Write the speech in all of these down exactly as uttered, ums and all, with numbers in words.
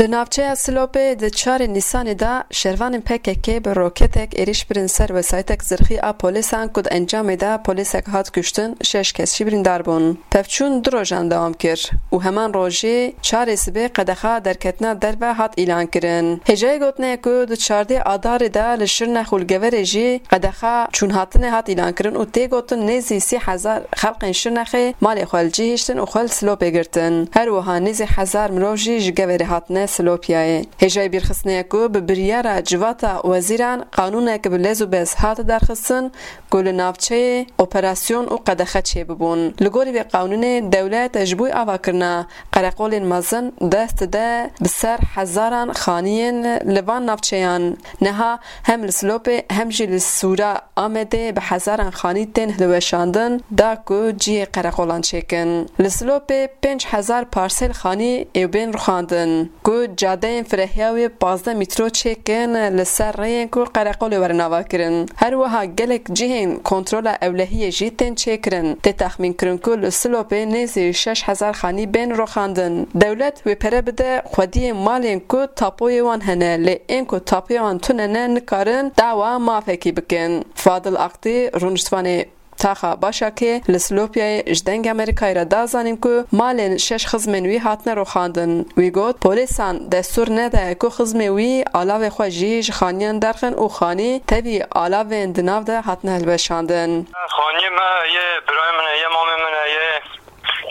Li navçeya Silopê di çarê Nîsanê de şervanên P K K bi roketek êrîş birin ser wesayîtek zirxî a polîsan ku di encamê de polîsek hat kuştin, şeş kes jî birîndar bûn. Pevçûn du rojan dewam kir û heman rojê çarê sibê qedexa derketina derve hat îlan kirin. Hêjayî gotinê ye ku di çardê Adarê de li Şirnex û li Geverê jî qedexa çûnhatinê hat îlan kirin û tê gotin nêzî sî hezar xelkên Şirnexê malê xwe li cî hiştin û xwe li Silopê girtin. Her wiha nêzî hezar mirov jî ji Geverê hatine Silopiyayê. Hêjayî bîrxistinê ye ku bi biryara Civata Wezîran qanûnek bi lez û bez hate derxistin ku li navçeyê operasyon û qedexe çêbibûn. Li gorî vê qanûnê dewlet ji bo avakirina qereqolên mezin dest dide bi ser hezaran xaniyên li van navçeyan. Niha hem li Silopê hem jî li Sûra Amedê bi hezaran xanî tên hilweşandin da ku cihê qereqolan çêkin. Li Silopê pênc hezar parsel xanî ê bên rûxandin. Ku cadeyên firehiya wê pazdeh mîtro çêkin li ser rêyên ku qereqolê werin avakirin. Her wiha gelek cihên kontrola ewlehiyê jî tên çêkirin. Tê texmînkirin ku li Silopê nêzî şeş hezar xanî bên rûxandin. Dewlet wê pere bide xwediyên malên ku tapoyê wan hene, lê ên ku tapoyê wan tune ne nikarin dawa mafekî bikin. Fadil Aktî, rûniştvanê Taxa Başakê li Silopiyayê ji Dengê Amerîkayê re da zanîn ku malên şeş xizmên wî hatine rûxandin. Wî got, polîsan destûr nedaye ku xizmê wî alavê xwe jî ji xaniyan derxin û xanî tevî alavên di nav de hatine hilweşandin. Xaniyê me yê birayê min e, yê mamê min e, yê,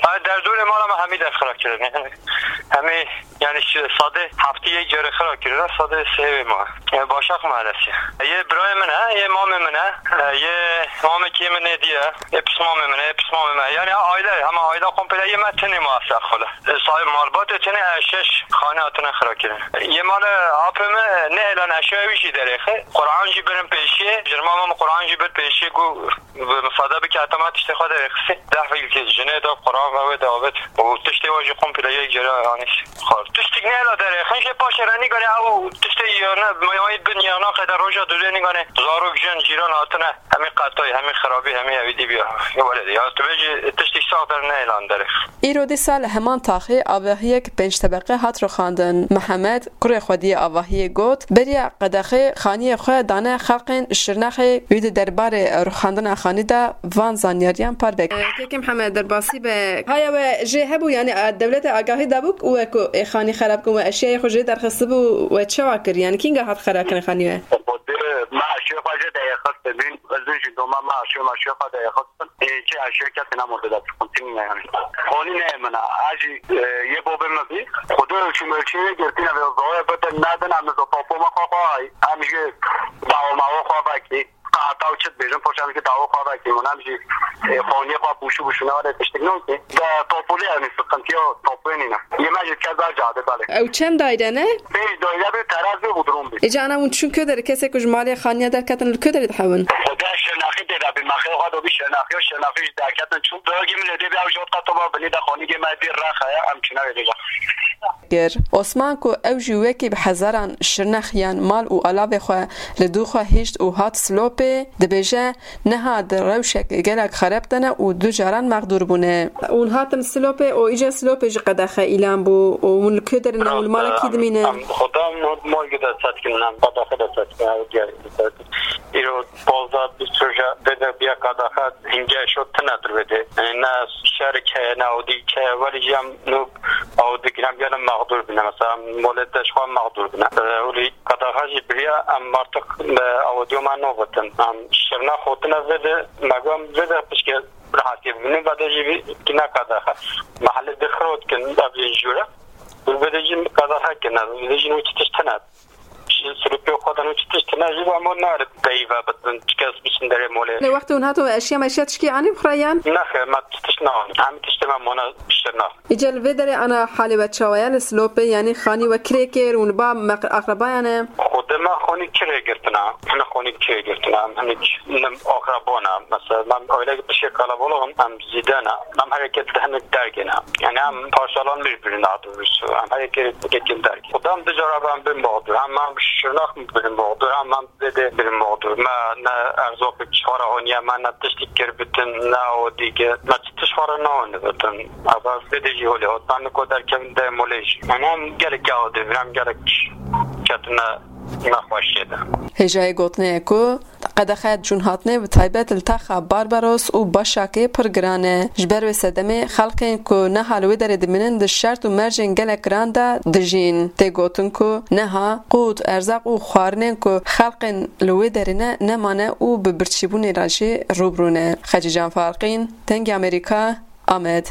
yani derdorê mala me hemî dest xira kirin. Yani hemî, yani şi-, sadê heftî yek carê xira kirine, sadê sê wê ma. Yani Başak Mahallesi. Yê birayê min e, yê mamê min e, yê mamekê min ê diye, yê pismamê min e, yê pismamê me. Yani aile, hema aile komple yê me tenê ma se xole. Sahib malbatê tenê e şeş xane hatine xira kirin. Yê mala apê me ne elan eşya wî jî derêxe. Quran jî birin pêşiyê, jirma me Quran jî bir pêşiyê ku Bi misade bike, heta me tiştê xwe derêxistî. Deh fîlkê jinê de, Quran ve wê de avêt. Û tiştê we jî komple yek cere anîş. Xwar. Tiştik nehêla derêxin jê paşê re nîganê ew tiştê yene, mayî bin yena qede roja dûrê nîganê. Zarok, jin, cîran hatine. Hemî qetay, hemî xirabî, hemî evî dî biya. Ya welêdî, ya tu bêjî tiştik sax der nehêlan derêx. Îro dîsa li heman taxê avahiyek pênc tebeqe hat rûxandin. Mihemed, kurê xwediyê avahiyê got, beriya qedexê xaniyê xwe dane xelqên Şirnexê, wî di derbarê rûxandina xanî de van zanyariyan parve kir. Kekê Mihemed, derbasî be. Haya we jê hebû, yanî, e, dewlete agahî dabû ku we ku ê xanî xerab kin, we eşyayê xwe jê derxistibû, we çawa kir? Yanî kînga hat xerakirin xanî we? Xwedê me eşyê xwe jê derxistibîn, ez jî doma me eşyê me eşyê xwe derxistin. Ê, çi eşya kesê nemorde dest xwe, tînî ne yanî. Xanî ne min e, ez jî, e, yê bavê min bî. Xwedê çûme çê girtîne vê zayê bidin, nedin, em niza tapo me xwe xwe, em jî dawa me xwe vekî. Qeheta û çi dibêjin, poşa em jî dawa xwe vekî, min em jî, e, xaniyê xwe bûşû bûşû ne were tiştik nokê. De tapolê em ê sıkıntıya tapoyê nîne. Yê me jî dike ber cadê belê. Ew çend daire ne? Pênc daire bê, teraz bê, bodrum bê. Îca ana hûn çûn ku derê, kesê ku ji malê xaniya derketin li ku derê dihewin? Xwedê Şirnexî tê de bî, me xê xwe dobî Şirnexî û Şirnexî jî derketin çûn. Dogî min ê dê bî ew jot qeto me binî de xanî gê me dî rex heye, em çûne vê dêja. Kir. Osman ku ew jî wekî bi hezaran Şirnexiyan mal û alavê xwe li dû xwe hişt û hat Silopê, dibêje, niha di rewşek gelek xerab de ne û du caran mexdûr bûne. Hûn hatin Silopê û îca Silopê jî qedexe îlan bû û hûn li ku derê ne û li mala kî dimînin? Em, em, Xwedê em mal gide set kin, em qedexe de set kin, ew diye set kin. Îro pazdeh bîst roja vê de biya qedexe, hingê şo tine dir vê de. Yani ne şerik heye, ne awdî heye, welî jî em nû awdî kirin, em gelin mexdûr bîne. Mesela em molê de ji xwe mexdûr bîne. Ee, welî qedexe jî biriya, em artık, e, awdiyo me novitin. Em Şirnex hotine vê de, me got em vê de pişke rehetiyê bibînin, vê de jî vî kine qedexe. Mehelê dixirot kin, ev jî jûre. Vê de jî qedexe kine, vê de jî nû çi tişt tine. Ji Silopê xwe de nû çi tişt tine jî, em nare peyve bitin, çi kes biçin derê molê. Lê wextê hûn hatin, we eşya meşya tişkî anî bi xwe re yan? Nexêr, me tişt neanî. Em tiştê me mane Şirnex. Îca li vê derê ana halê we çawa ye li Silopê? Yanî xanî we kirê kir û li ba me-, aqrebayan e? Xwedê Me xonî kirê girtina, hene xonî kirê girtina, em hinek nim akrabona. Mesela, em öyle bir şey kalabalığım, em zîdena, em hereket de hinek dergene. Yani em parçalanmış birbirine daha doğrusu. Em hereket dergene. Xudam dicara ben bin mağdur. Hem em şırnak mı bin mağdur, hem em zede bin mağdur. Me ne erzak çixara honiye, me ne tiştik kir bitin, ne o dige. Me çi tişxara ne honi bitin. Ama zede jî holê hot. Ben ko derkevin de molej. Yani em gelek ya o devir, em gelek ketine nexweşiyê de. Hêjayê gotinê ye ku qedexe cûnhatinê bi taybet li taxa Barbaros û Başakê pir giran e. Ji ber wê sedemê xelkên ku niha li wê derê dimînin di şert û mercên gelek giran de dijîn. Tê gotin ku niha qût, erzaq û xwarinên ku xelkên li wê derê ne nemane û bi birçîbûnê re jî rûbirû ne. Xecîcan Farqîn, Dengê Amerîka, Amed.